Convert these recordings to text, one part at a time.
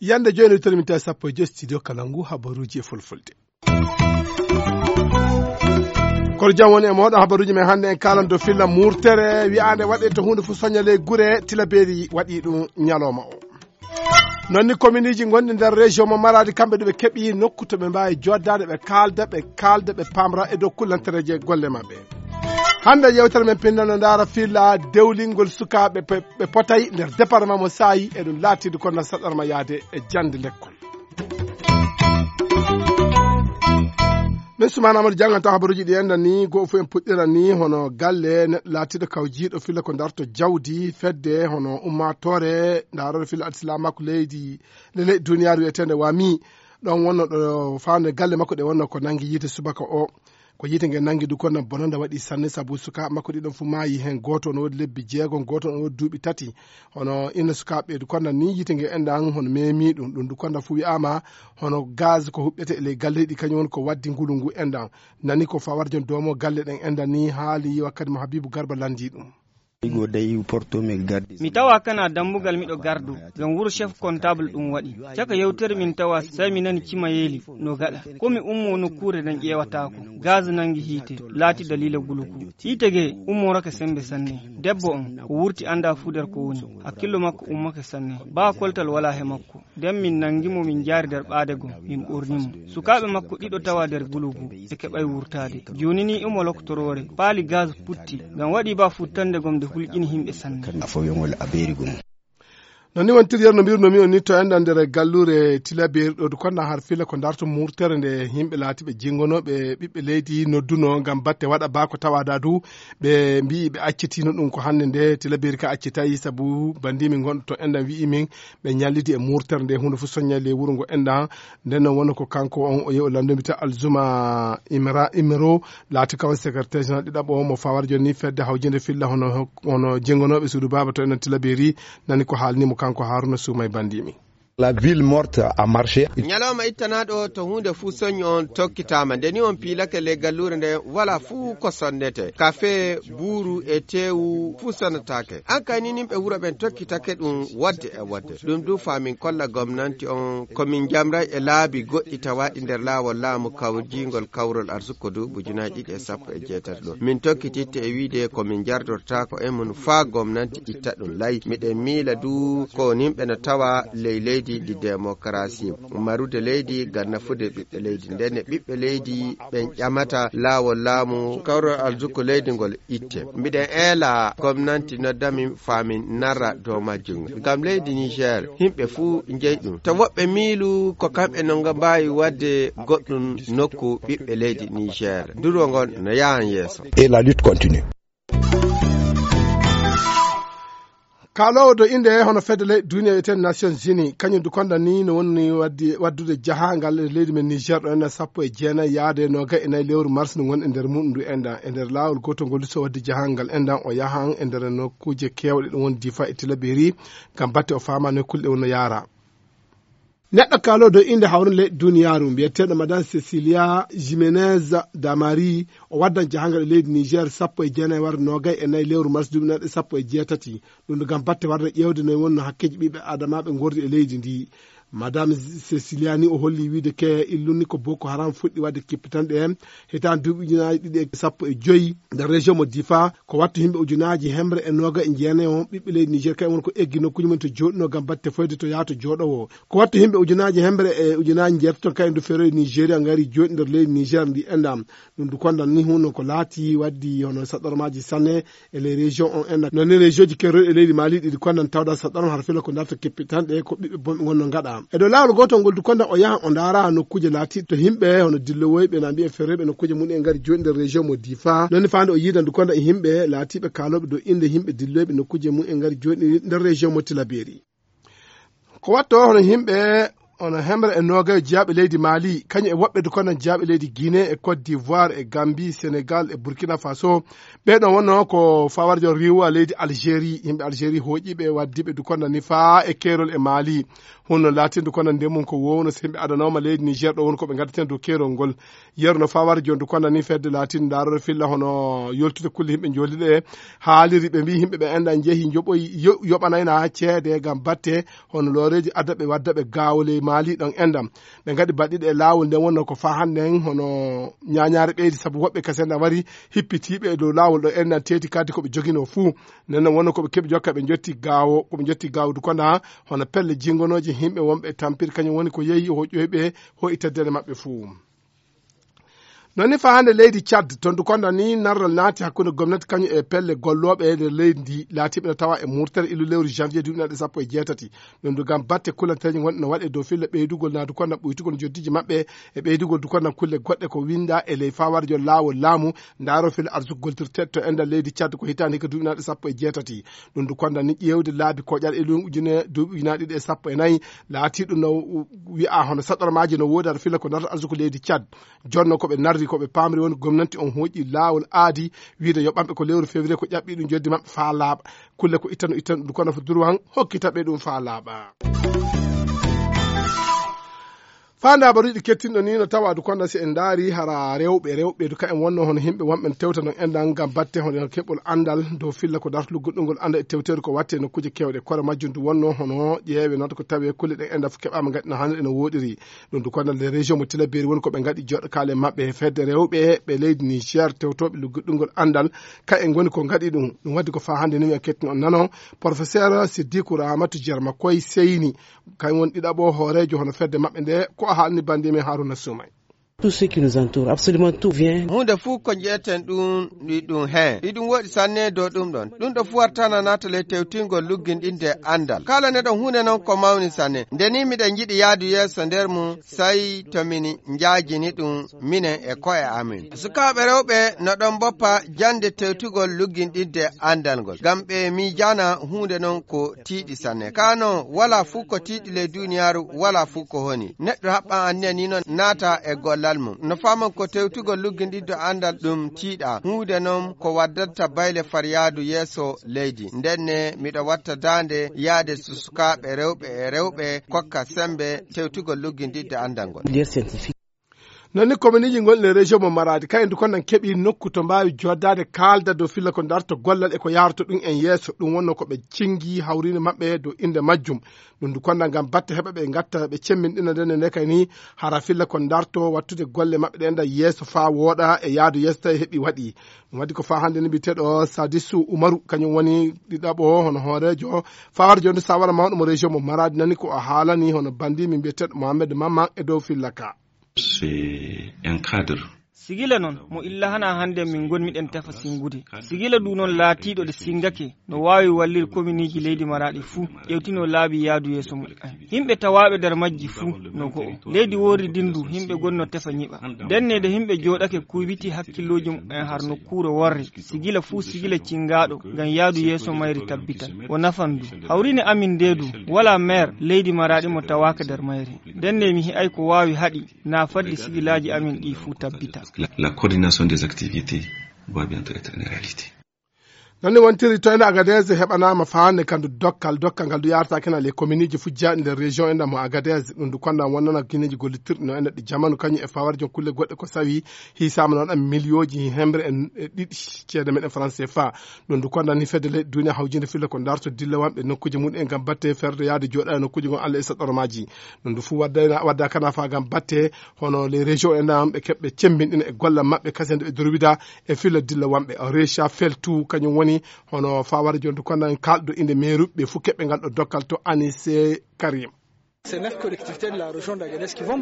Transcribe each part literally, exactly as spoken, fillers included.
Yande jooni, wittere min tawi sappo e joy studio Kalangu, habaruuji e fulfulde. Kono jam woni e mooɗon, habaruuji men hannde en kaalan dow filla murtere, wiyaande waɗe to huunde fof soña ley gure, tilabeeri waɗi ɗum ñalooma o. Noon ni kominiiji gonɗi nder région mo Maradi, kamɓe ɗo ɓe keɓi nokku to ɓe mbaawi jooɗdaade, ɓe kaalda, ɓe kaalda, ɓe paamra e dow kullantereeje golle maɓɓe. Hannde yewtere men pinnano ndaara filla dewlingol sukaaɓe pe-, ɓe potay nder département mo Saayi, e ɗum laatiidu kono saɗarma yaade e jannde lekkol. Min Sumaana Amadou janngan taw habaruuji ɗi enɗan ni, goo fof en puɗɗiran ni hono galle neɗɗo laatiiɗo kawjiiɗo filla ko darto jawdi fedde hono ummaatoore ndaarooɗo filla adsilamaaku leydi, le-, leydi duniyaaru wiyeteende wami. Ɗon wonno ɗo faande galle makko ɗe wonno ko nangi yiite subaka o. Ko yiite nge nangi du kono bonanda waɗi sanne sabu sukaaɓe makko ɗiɗon fu maayi heen. Gooto no woodi lebbi jeegom, gooto no woodi duuɓi tati. Hono inna sukaaɓe ɓe du kono ni yiite nge enɗan hono memi ɗum. Ɗum du kono fu wi'aama hono gaz ko huɓɓete e ley galleeji ɗi kañum woni ko waddi ngulu ngu enɗan. Nani ko fawar jon doomo galle ɗen enɗan ni haali wakkati mo Habibu Garba landi ɗum. Igo dey porto mi gardi. Mi tawa kana dambugal miɗo gardo, ngam wuro chef comptable ɗum waɗi. Caka yewtere min tawa, sai mi nani cimayeeli no gaɗa. Ko mi ummo nokkuure nden ƴeewataako. Gaz nangi hiite, laati dalila guluku. Hiite ge ummorake sembe sanne. Debbo on, ko wurti anda fu nder ko woni. Hakkillo makko ummake sanne. Baa koltal wala he makko. Nden min nangi mo, min jaari nder ɓaade gom, min ɓorni mo. Sukaaɓe makko ɗiɗo tawa nder gulugu, ɓe keɓay wurtaade. Jooni ni imo loktoroore, paali gaz putti, ngam waɗi ba futtande gom nde hulƴini himɓe sanne. Kan afo yongol a beeri gum. Non ni wontiri yer no mbirno mi on ni to enɗan nder galluure Tilaberi ɗo du konɗan har fila ko darto murtere nde himɓe laatiɓe jingonooɓe ɓiɓɓe leydi nodduno ngam batte waɗa ba ko tawada du ɓe mbi'i ɓe accitino ɗum ko hannde nde Tilaberi ka accitayi sabu bandimi gonɗo to enɗan wi'i min ɓe ñallidi e murtere nde, huunde fof soññay ley wuro ngo enɗan. Nden noon wonno ko kanko on o yehi o lanndumi ta Alzuma Imra-, Imro, laati kawon secrétaire général ɗiɗaɓo mo fawar jooni ni fedde hawjinde filla hono, hono jengonooɓe suudu baaba to enɗan Tilaberi, nani ko haalni mo kanko Haruna Suumay Bandimi. La ville morte a marché. Ñalawma ittanaaɗo to huunde fuu soñi on tokkitaama. Nde ni on piilake ley galluure nde, wala fuu ko sonnete. Kafe, buuru e teewu fuu sonnataake. An kay ni nimɓe wuro ɓen tokkitake ɗum wadde e wadde. Ɗum du faa min kolla gomnanti on ko min njamray e laabi goɗɗi tawaaɗi nder laawol laamu kawjiingol kawrol arsuko du ujunaaji ɗiɗi e sappo e jeetati ɗo. Min tokkititte e wiide ko min njardortaako e mun faa gomnanti itta ɗum lay. Miɗen miila du ko nimɓe no tawa ley leydi ndi demokarasi. Marude leydi ngam nafude ɓiɓɓe leydi. Ndenne ɓiɓɓe leydi ɓen ƴamata laawol laamu kawrol arsuko leydi ngol itte. Mbiɗen eela gomnanti noddami faa min narra dow majjum. Ngam leydi Niger, yimɓe fuu njeyi ɗum. To woɓɓe miilu ko kamɓe no nga mbaawi waɗde goɗɗum nokku ɓiɓɓe leydi Niger. Nduro ngon no yahan yeeso. Et la lutte continue. Kaaloowo dow innde hono fedde leyɗe duniya wiyetee Nations Unies, kañum du konda ni no woni waddi, waddude jahaangal e leydi men Niger ɗo enen sappo e jeenayi yaade noogay e nayi lewru mars ndu ngon e nder muɗum ndu enɗan. E nder laawol gootol ngol du so waddi jahaangal enɗan o yahan e nder nokkuuje keewɗe ɗum woni Difa e Tilaberi ngam batte o faama nokkuuje ɗe wonno yaara. Neɗɗo kaaloowo dow innde hawrinde leyɗe duniyaaru, mbiyeteeɗo Madame Cecilia Jimenez Damari, o waddan jahangal e leydi Niger sappo e jeenayi warde noogay e nayi lewru mars duuɓi nayi sappo e jeetati. Ɗum ɗo ngam batte warde ƴeewde no wonno hakkeeji ɓiɓɓe Adamaaɓe ngordi e leydi ndi. Madame Cecilia ni o holli wiide ke illunni ko Boko Haram fuɗɗi wadde kippitanɗe hitaande duuɓi ujunaaji ɗiɗi e sappo e joy nder région mo Difa. Ko wattu yimɓe ujunaaji hemre e nooga e jeenayi on ɓiɓɓe leydi Niger, kay won ko eggi nokkuuji mum to jooɗino ngam batte foyde to yaato jooɗowo. Ko wattu yimɓe ujunaaji hemre e ujunaaji njeetato kay ndu feroy Nigeria ngari jooɗi nder leydi Niger ndi enɗam. Ɗum du kondan ni hunno ko laati waddi hono saɗɗormaaji sanne e les régions on enɗam. Non ni région ji kerol e leydi Mali ɗiɗi kondan tawda saɗɗorma har filo ko darta keppitanɗe ko ɓiɓɓe bonɓe ngonno ngaɗa. E dow laawol gootol ngol du kondan o yahan o ndaara nokkuuje laati to yimɓe hono dillowoyɓe na mbiyen feroyɓe nokkuuje mum en ngari jooɗi nder région mo Difa. Non ni faande o yiidan du kondan e yimɓe laatiiɓe kaalooɓe dow innde yimɓe dilloyɓe nokkuuje mum en ngari jooɗi nder région mo Tilaberi. Ko watto hono yimɓe Ono hemre e nogayo jeyaɓe leydi Mali, kañum e woɓɓe dukonan jeyaɓe leydi Guinée e Côte d'Ivoire e Gambie, Sénégal e Burkina Faso. Ɓeɗo wonno ko fawarjo riwa leydi Algérie, yimɓe Algérie hoƴiɓe waddiɓe dukonan ni faa e kerol e Mali. Hunno latin dukonan ndemum ko wowno so yimɓe adanoma leydi Niger ɗo woni ko ɓe gaddaten dow kerol ngol. Yerno fawarjo dukonan ni fedde latin darore filla hono yoltude kulle yimɓe jolliɗe. Haaliri ɓe mbi yimɓe ɓe enɗan jeehi joɓoyi yoɓanayna ceede gam batte hono looreeji adda ɓe wadda ɓe gaawo ley maali ɗon enɗam. Ɓe ngaɗi baɗɗiɗe e laawol nden wonno ko faa hannden hono ñaañaare ɓeydi sabu woɓɓe kasen na wari hippitiiɓe e dow laawol ɗo enɗam teeti kaddi ko ɓe joginoo fuu. Nden non wonno ko ɓe keɓi jokka ɓe njotti gaawo ko ɓe njotti gaawo dukonda hono pelle jingonooji yimɓe wonɓe tampiri kañum woni ko yehi hoƴƴoyɓe hoyi teddere maɓɓe fuu. Noon ni faa hannde leydi Tchad, toon du konda ni narral naati hakkunde gomnati kañum e pelle gollooɓe e nder leydi ndi laatiiɓe no tawa e murtere illu lewru janvier duuɓi naɗe sappo e jeetati. Ɗum du ngam batte kulanteeje gonɗe no waɗe dow filla ɓeydugol naa du konda ɓuytugol njoddiiji maɓɓe e ɓeydugol du konda kulle goɗɗe ko winnda e ley fawarjo laawol laamu ndaaro filla arsuko goltirteeɗo to enɗal leydi Tchad ko hitaande hikka duuɓi naɗe sappo e jeetati. Ɗum du konda ni ƴeewde laabi koƴal e lewru ujune duuɓi ujunaaji ɗiɗi e sappo e nayi laatiiɗo no wi'a hono saɗormaaji no woodi aɗa filla ko narta arsuko leydi Tchad. Jonno ko ɓe narri ko ɓe paamri woni gomnanti on hoƴi laawol aadi wiide yo ɓamɓe ko lewru février ko ƴaɓɓi ɗum joddi maɓɓe faa laaɓa. Kulle ko ittano ittano ɗum kono fo durwan hokkita ɓe ɗum faa laaɓa. Faa ndabaruɗi kettinɗo ni no tawa du konda si en ndaari hara rewɓe rewɓe du ka en wonno hono yimɓe wonɓe tewta non enɗan ngam batte hono keɓol anndal dow filla ko darta lugguɗungol annda e tewteedu ko watte nokkuuje kewɗe kono majjum du wonno hono ƴeewe noon ko tawe kulle ɗen enɗan fof keɓaama ngaɗi no hannde ene woɗiri. Ɗum du konda les régions mo tilaberi woni ko ɓe ngaɗi joɗɗo kaale maɓɓe e fedde rewɓe ɓe leydi Niger tewtoɓe lugguɗungol anndal. Ka en ngoni ko ngaɗi ɗum ɗum waddi ko faa hannde ni en kettino on nano professeur Siddiku Ramatu Jerma koye seyni. Kañ won ɗiɗaɓo hooreejo hono fedde maɓɓe nde ko o haalni bandi men Haruna Soumay. Tout ce qui nous entoure, absolument tout vient. Hunde fuu ko njeeten ɗum ɗi ɗum heen ɗi ɗum woɗi sanne dow ɗum ɗon ɗum ɗo fuu wartana naata ley tewtingol lugginɗinde anndal kala neɗɗo hunde noon ko mawni sanne nde ni miɗen njiɗi yaadu yeeso nder mum. Sai to min njaajini ɗum minen e ko'e amin. Sukaaɓe rewɓe no ɗon mboppa jannde tewtugol lugginɗinde anndal ngol, ngam ɓe miijaana huunde non ko tiiɗi sanne. Kaa non, walaa fuu ko tiiɗi ley duuniyaaru, walaa fuu ko honi. Neɗɗo haɓɓan anniya nii non naata e gollal mum. No faaman ko tewtugol lugginɗinde anndal ɗum tiiɗaa, huunde non ko waddanta bayle far yaadu yeeso leydi. Ndenne miɗo watta daande yaade so sukaaɓe rewɓe e rewɓe kokka semmbe tewtugol lugginɗinde anndal ngol. Noon ni kominiiji gonɗi e région mo Maradi kayen du konnan keɓi nokku to mbaawi joddaade kaalda dow filla ko darto gollal e ko yaroto ɗum en yeeso ɗum wonno ko ɓe cingi hawriinde maɓɓe dow innde majjum. Ɗum du konnan ngam batte heɓa ɓe ngatta ɓe cemminɗina ndenne nde kay ni hara filla ko darto wattude golle maɓɓe ɗen da yeeso faa wooɗa e yaadu yeeso tawi heɓi waɗi. Ɗum waɗi ko faa hannde ni mbiyeteeɗo Sadisu Umaru kañum woni ɗiɗaɓo hono hooreejo fawar jonde sawara mawɗo mo région mo Maradi nani ko o haalani hono bandi min mbiyeteeɗo Mohamed Mamman e dow filla ka. C'est un cadre. Sigila noon mo illa hana hannde min ngonmiɗen tefa singude. Sigila du noon laatiiɗo ɗe singake no waawi wallir kominiiji leydi Maradi fuu ƴewtino laabi yaadu yeeso mum. Yimɓe tawaaɓe nder majji fuu no go'o. Leydi worri dindu yimɓe gonno tefa nyiɓa. Ndenne de yimɓe jooɗake kuybiti hakkillooji mum en har nokkuure worre. Sigila fuu sigila cingaaɗo ngam yaadu yeeso mayri tabbitan. O nafan du. Hawriine amin nde du walaa meer leydi Maradi mo tawaaka nder mayri. Ndenne mi hi'ay ko waawi haɗi na faddi sigilaaji amin ɗi fuu tabbita. La, la coordination des activités doit bientôt être une réalité. Noon ne wontiri toyna Agadez heɓanaama faande kandu dokkal dokkal ngal du yarata kena les communeji fujjaaɗi nder région enɗam mo Agadez ɗum du konda wonnana guineji gollitirɗi no enɗa ɗi jamanu kañum e fawarjon kulle goɗɗe ko sawi hisaama noon ɗam miliyooji hemre e ɗiɗi ceede meɗen France CFA. Ɗum du konda ni fedde leyɗe duniya hawjinde filla ko darto dilla wanɓe nokkuji mum en ngam batte ferde yaade jooɗa e nokkuji gon Allah e saɗɗormaji. Ɗum du fuu waddayna wadda kana fa ngam batte hono les régions enɗam ɓe keɓɓe cemmbinɗina e gollal maɓɓe kasen ɓe durwida e filla dilla wanɓe recha feltu kañum woni hono fawara jonde kono en kalɗo inde meeruɓe ɓe fof keɓɓe ngal ɗo dokkal to Anise Karim.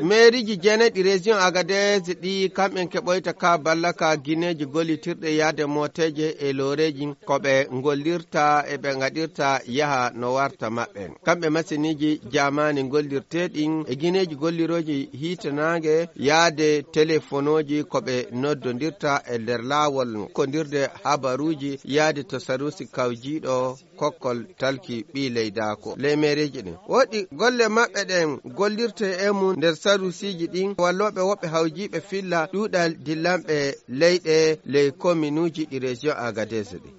Meeriji jeenayi ɗi région Agadez ɗi kamɓen keɓoyta ka ballaka gineeji gollitirɗe yaade mooteeje e looreeji ko ɓe ngollirta e ɓe ngaɗirta yaha no warta maɓɓe. Kamɓe masiniiji jaamaani ngollirteeɗi e gineeji gollirooji hiitanaange yaade telefonooji ko ɓe noddondirta e nder laawol kondirde habaruuji yaade to saruusi kawjiiɗo. kokkol talki ɓii leydaako ley meereeji ɗin. Woɗɗi golle maɓɓe ɗen gollirte e mum nder sarusiiji ɗin, wallooɓe woɓɓe hawjiiɓe filla ɗuuɗal dillanɓe leyɗe ley kominuuji ɗi région Agadez ɗin.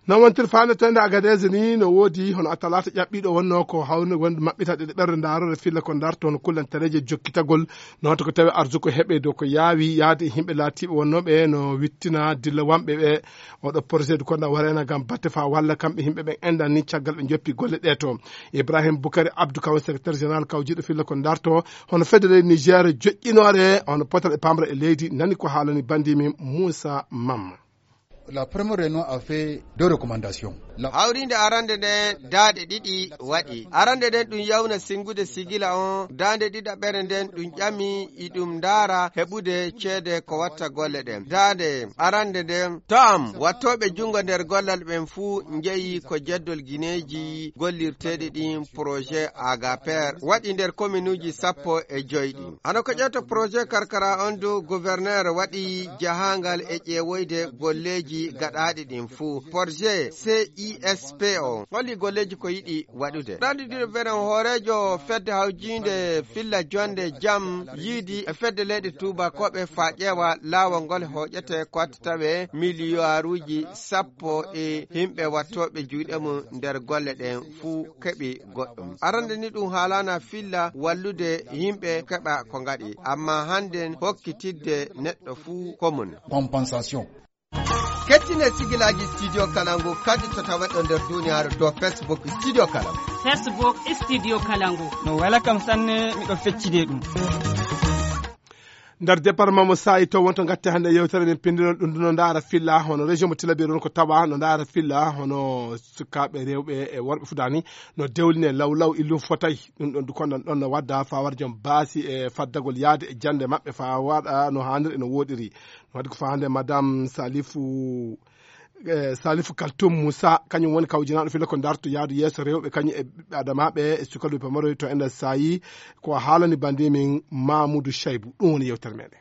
Non wontir faandeteende Agadez ni no woodi hono a talaata ƴaɓɓiiɗo wonnoo ko hawni wonde maɓɓitaɗe ɗe ɓerɗe ndaarore filla ko ndarto hono kullantareeje jokkitagol. No wonta ko tawi arsuko heɓe dow ko yaawi yaade e yimɓe laatiiɓe wonnooɓe no wittina dilla wamɓe ɓe. Oɗo projet du konda wareena ngam batte faa walla kamɓe yimɓe ɓen enɗan ni caggal ɓe njoppi golle ɗe to. Ibrahim Bukari Abdou Kaw, secrétaire général kawjiiɗo filla ko ndarto hono fedde leydi Niger joƴƴinoore hono potal e pamra e leydi, nani ko haalani bandi min Moussa Mamma. La première réunion a fait deux recommandations. La- Hawriinde arande nden daaɗe ɗiɗi waɗi. Arande nden ɗum yawna singude sigila on, daande ɗiɗaɓere nden ɗum ƴami iɗum ndaara heɓude ceede ko watta golle ɗen. Daande arande nden, to am, wattooɓe junngo nder gollal ɓen fuu njeyi ko jeddol gineeji gollirteeɗi ɗin projet Agaper waɗi nder kominuuji sappo e joy ɗin. Hano ko ƴeewta projet karkara on du, gouverneur waɗi jahaangal e ƴeewoyde golleeji gaɗaaɗi ɗin fuu. Projet C I S P o holli golleeji ko yiɗi waɗude. Ɗanɗi ɗiɗo beren hooreejo fedde hawjiinde filla jonde jam yiidi e fedde leyɗe tuubakooɓe faa ƴeewa laawol ngol hooƴete ko watta tawe miliyaaruuji sappo e yimɓe wattooɓe juuɗe mum nder golle ɗen fuu keɓi goɗɗum. Arande ni ɗum haalaana filla wallude yimɓe keɓa ko ngaɗi, amma hannden hokkitidde neɗɗo fuu ko mum. Compensation. Kettine sigilaaji Studio Kalangu kadi to taweɗo nder duniyaaru dow Facebook Studio Kalangu. Facebook Studio Kalangu. No wela kam sanne, miɗo feccide ɗum. Nder département mo Saayi to wonto ngatte hannde yewtere men pinndinol ɗum, ɗum no ndaara filla hono région mo Tillabéri on ko tawa no ndaara filla hono sukaaɓe rewɓe e worɓe fudaani no dewline law law illum fotay. Ɗum ɗon du kondan ɗon no wadda faa waɗa jom baasi e faddagol yaade e jannde maɓɓe faa waɗa no haaniri e no wooɗiri. No waɗi ko faa hannde madame Salifu eh, Salifu Kaltum Moussa, kañum woni kawjinaaɗo filla ko ndarto yaadu yeeso rewɓe kañum e ɓiɓɓe adamaaɓe e sukaluɓe pamaroy to ender Saayi. Ko haalani bandi min Mamoudou Chaibou, ɗum woni yewtere meɗen.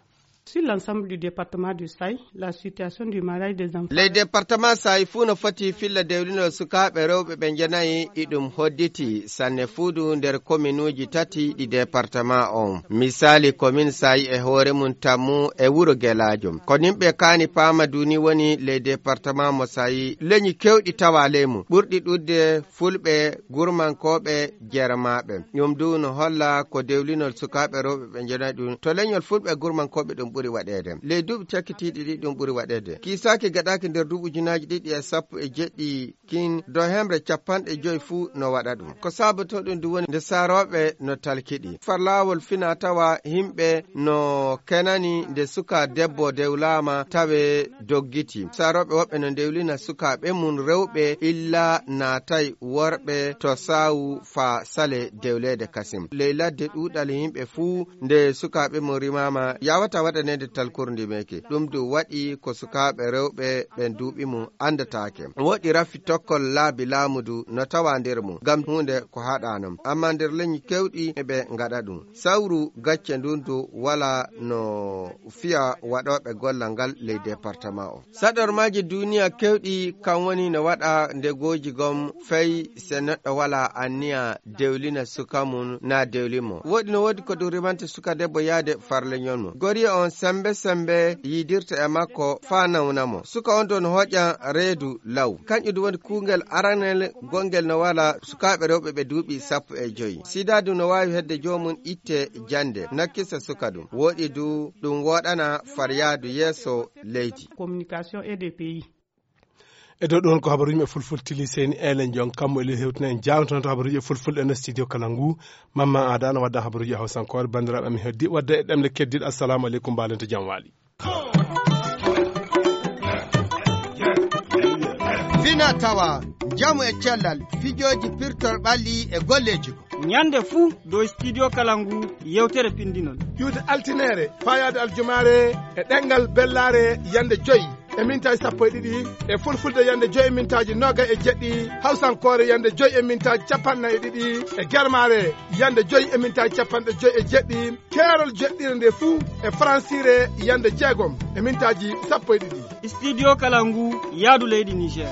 Sur l'ensemble du département du Saï, la situation du mariage des enfants. Ley département Saayi fuu no foti filla dewlinol sukaaɓe rewɓe ɓe njenayi iɗum hodditi sanne fuudu nder kominuuji tati ɗi département on. Misaali komin Saayi e hoore mum tammu e wuro Gelaajo. Ko nimɓe kaani paama duuni woni ley département mo Saayi leñi kewɗi tawa ley mum. Ɓurɗi ɗuuɗde fulɓe, gurmankooɓe, jermaaɓe. Ɗum du no holla ko dewlinol sukaaɓe rewɓe ɓe njenayi ɗum. To leñol fulɓe e gurmankooɓe ɗum ɓuri waɗeede. Ley duuɓi cakkitiiɗi ɗi ɗum ɓuri waɗeede. Kiisaaki gaɗaaki nder duuɓi ujunaaji ɗiɗi e sappo e jeɗɗi kin do hemre capanɗe joy fuu no waɗa ɗum. Ko saabotoo ɗum du woni nde saarooɓe no talkiɗi. Far laawol fina tawa himɓe no kenani nde suka debbo dewlaama tawe doggiti. Saarooɓe woɓɓe no dewlina sukaaɓe mum rewɓe illa naatay worɓe to saawu faa sale dewleede kasim. Ley ladde ɗuuɗal himɓe fuu nde sukaaɓe mum rimaama yawata waɗaneede talkurndi meeke. Ɗum du waɗi ko sukaaɓe rewɓe ɓen duuɓi mum anndataake. Woɗi rafi tokkol laabi laamu du no tawa nder mum, ngam huunde ko haɗaano. Amma nder leñi kewɗi ɓe ngaɗa ɗum. Sawru gacce ndun du wala no fiya waɗooɓe gollal ngal ley département o. Saɗormaaji duuniya kewɗi kan woni no waɗa ndegooji gom fay se neɗɗo wala anniya dewlina suka mum na dewli mo. Woɗi no woodi ko ɗum rimanta suka debbo yaade far leñol mum. Goriya on sembe sembe yiidirta e makko faa nawna mo. Suka on ɗon hoƴan reedu law. Kanƴum ɗum woni kuungel aranel gongel no wala sukaaɓe rewɓe ɓe duuɓi sappo e joy. Sida du no waawi hedde joomum itte jannde, nakkisa suka ɗum. Woɗi du ɗum woɗana far yaadu yeeso leydi. Communication et des pays. E dow ɗon ko habaruuji e fulfulde tili seni elen jon kammu e lil hewtina en jaawnoto habaruuji e fulfulde e nder studio kala ngu. Mamma Aada no wadda habaruuji e hawsankoore. Banndiraaɓe, mi heddi wadde e ɗemle keddiiɗe. Assalamu aleykum, mbaalente jam waali. Fina tawa, njamu e cellal, fijooji pirtol ɓalli e golleeji. Ñande fuu dow studio kala ngu yewtere pinndinol. Ƴuwde altineere, faayaade aljumaare e ɗemngal bellaare yande joy e mintaaji sappo e ɗiɗi, e fulfulde yande joy e mintaaji noogay e jeɗɗi, hawsankoore yande joy e mintaaji capanɗe nayi e ɗiɗi, e germaare yande joy e mintaaji capanɗe joy e jeɗɗi, keerol joɗɗire nde fuu e faransiire yande jeegom e mintaaji sappo e ɗiɗi. Studio kala ngu yaadu leydi Niger.